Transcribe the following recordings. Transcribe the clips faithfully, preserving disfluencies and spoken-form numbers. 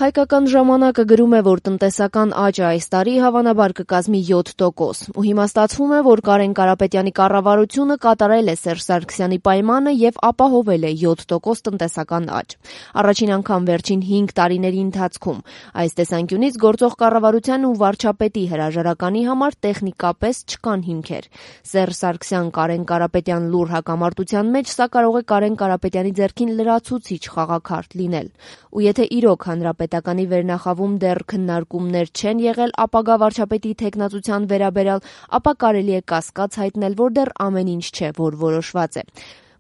Հայկական ժամանակը գրում է, որ տնտեսական աճը այս տարի հավանաբար կկազմի յոթ տոկոս, ու հիմա ստացվում է, որ Կարեն Կարապետյանի կառավարությունը կատարել է Սերժ Սարգսյանի պայմանը եւ ապահովել է յոթ տոկոս տնտեսական աճ։ Առաջին անգամ վերջին հինգ տարիների ընթացքում։ Այս տեսանկյունից գործող կառավարության ու վարչապետի հրաժարականի համար տեխնիկապես չկան հիմքեր։ Սերժ Սարգսյան Կարեն Կարապետյան լուր հակամարտության մեջ սա կարող է Կարեն Կարապետյանի ձեռքին լրացուցիչ խաղաքարտ լինել։ Ու եթե իրոք հանրապետականի վերնախավում դեռ քննարկումներ չեն եղել ապագա վարչապետի թեկնածության վերաբերյալ, ապա կարելի է կասկած հայտնել, որ դեռ ամեն ինչ չէ, որ որոշված է։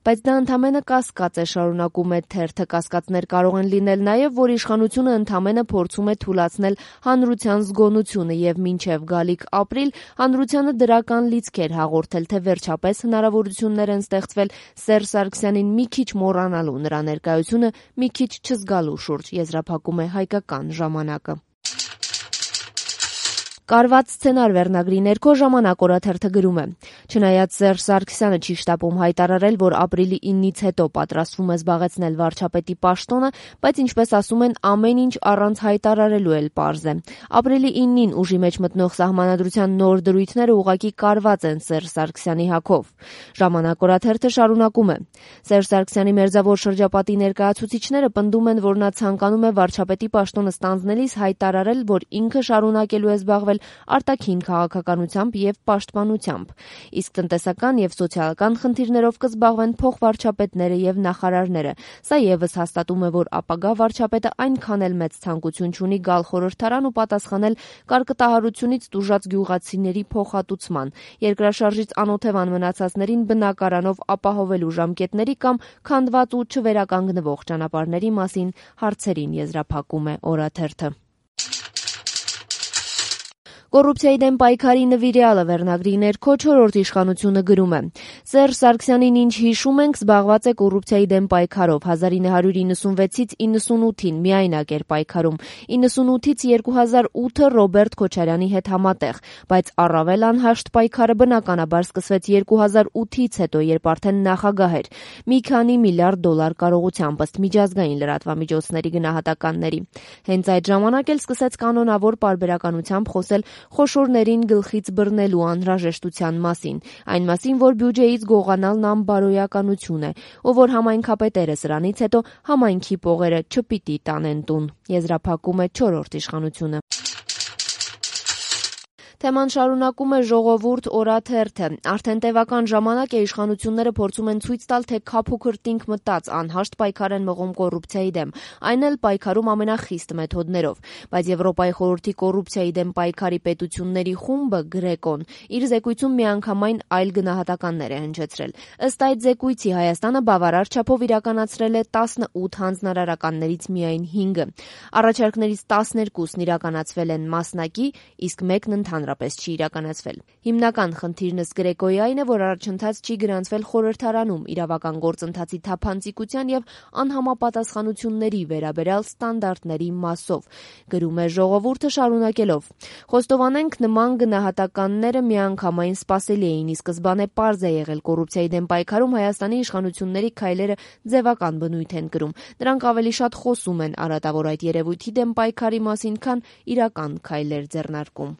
Բայց դա ընդամենը կասկած է, շարունակում է թերթը, կասկածներ կարող են լինել նաև, որ իշխանությունը ընդամենը փորձում է թուլացնել հանրության զգոնությունը եւ մինչեւ գալիք ապրիլ հանրությանը դրական լիցքեր հաղորդել, թե վերջապես հնարավորություններ են ստեղծվել Սերժ Սարգսյանին մի քիչ մոռանալու, նրա ներկայությունը մի քիչ չզգալու շուրջ, եզրափակում է Հայկական ժամանակը։ Կարված սցենար վերնագրի ներքո Ժամանակ օրաթերթը գրում է. Չնայած Սերժ Սարգսյանը չի շտապում հայտարարել, որ ապրիլի իննից հետո պատրաստվում է զբաղեցնել վարչապետի պաշտոնը, բայց ինչպես ասում են, ամեն ինչ առանց հայտարարելու էլ պարզ է։ Ապրիլի իննին ուժի մեջ մտնող սահմանադրության նոր դրույթները ուղղակի կարված են Սերժ Սարգսյանի հագով։ Ժամանակ օրաթերթը շարունակում է. Սերժ Սարգսյանի մերձավոր շրջապատի ներկայացուցիչները պնդում են, որ նա ցանկանում է վարչապետի պաշտոնը ստանձնելիս հայտարարել, որ ինքը շարունակելու է զբաղվել արտաքին քաղաքականությամբ եւ պաշտպանությամբ, իսկ տնտեսական եւ սոցիալական խնդիրներով կզբաղվեն փոխվարչապետները եւ նախարարները։ Սա եւս հաստատում է, որ ապագա վարչապետը այնքան էլ մեծ ցանկություն չունի գալ խորհրդարան ու պատասխանել կարկտահարությունից տուժած գյուղացիների փոխհատուցման, երկրաշարժից անօթևան մնացածներին բնակարանով ապահովելու ժամկետների կամ քանդված ու չվերականգնվող ճանապարհների մասին հարցերին, եզրափակում է օրաթերթը։ Կոռուպցիայի դեմ պայքարի նվիրյալը վերնագրի ներքո չորրորդ իշխանությունը գրում է. Սերժ Սարգսյանին ինչ հիշում ենք, զբաղված է կոռուպցիայի դեմ պայքարով, հազար ինը հարյուր իննսունվեցից իննսունութին միայնակ էր պայքարում, իննսունութից երկու հազար ութը Ռոբերտ Քոչարյանի հետ համատեղ, բայց առավել անհաշտ պայքարը բնականաբար սկսվեց երկու հազար ութից հետո, երբ արդեն նախագահ էր, մի քանի միլիարդ դոլար կարողությամբ ըստ միջազգային լրատվամիջոցների գնահատականների։ Հենց այդ ժամանակ էլ սկսեց կանոնավոր պարբերականությամբ խոսել խոշորներին գլխից բռնելու անհրաժեշտության մասին, այն մասին, որ բյուջեից գողանալն անբարոյականություն է, ու որ համայնքապետերը սրանից հետո համայնքի պողերը չպիտի տանեն տուն, եզրափակում է չորրորդ իշխանությունը։ Թեման շարունակում է Ժողովուրդ օրաթերթը։ Արդեն տևական ժամանակ է իշխանությունները փորձում են ցույց տալ, թե քափուքր տինք մտած անհաշտ պայքար են մղում կոռուպցիայի դեմ, այն էլ պայքարում ամենախիստ մեթոդներով։ Բայց Եվրոպայի խորհրդի կոռուպցիայի դեմ պայքարի պետությունների խումբը Գրեկոն իր զեկույցում միանգամայն այլ գնահատականներ է հնչեցրել։ Ըստ այդ զեկույցի Հայաստանը բավարար չափով իրականացրել է տասնութ հանձնարարականներից միայն հինգը։ Առաջարկներից տասներկուսն իրականացվել են մասնակի, իսկ մեկն ընդհանրապես չի իրականացվել։ Հիմնական խնդիրն ըստ Գրեկոյի այն է, որ առաջընթաց չի գրանցվել խորհրդարանում իրավական գործընթացի թափանցիկության եւ անհամապատասխանությունների վերաբերյալ ստանդարտների մասով, գրում է Ժողովուրդը շարունակելով. Խոստովանենք, նման գնահատականները միանգամայն սպասելի էին, ի սկզբանե պարզ է եղել կոռուպցիայի դեմ պայքարում Հայաստանի իշխանությունների քայլերը ձևական բնույթ են կրում։ Նրանք ավելի շատ խոսում են արատավոր այդ երևույթի դեմ պայքարի մասին, քան իրական քայլեր ձեռնարկում։